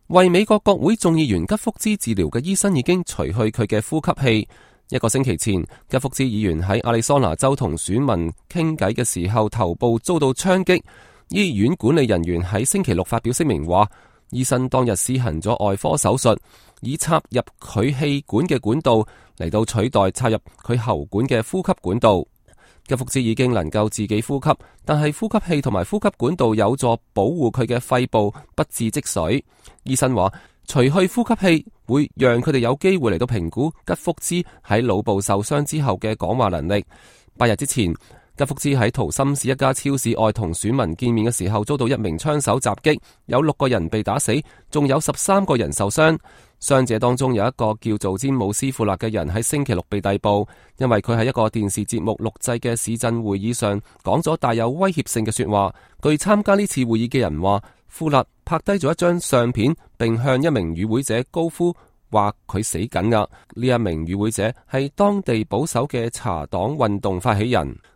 為美國國會眾議員吉福茲治療嘅醫生已經除去佢嘅呼吸器。1個星期前，吉福茲議員喺亞利桑那州同選民傾偈嘅時候，頭部遭到槍擊。醫院管理人員喺星期六發表聲明話，醫生當日施行咗外科手術，以插入佢氣管嘅管道嚟到取代插入佢喉管嘅呼吸管道。吉福茲已經能夠自己呼吸，但係呼吸器同埋呼吸管道有助保護佢嘅肺部不致積水。醫生話，除去呼吸器會讓佢哋有機會嚟到評估吉福茲喺腦部受傷之後嘅講話能力。8日之前，吉福茲喺圖森市一家超市外同選民見面嘅時候，遭到一名槍手襲擊，有6個人被打死，仲有13個人受傷。傷者當中有一個叫做詹姆斯庫勒嘅人喺星期六被逮捕，因為佢喺一個電視節目錄製嘅市鎮會議上講咗帶有威脅性嘅說話。據參加呢次會議嘅人話，庫勒拍低咗一張相片，並向一名與會者高呼話佢死緊㗎。呢一名與會者係當地保守嘅茶黨運動發起人。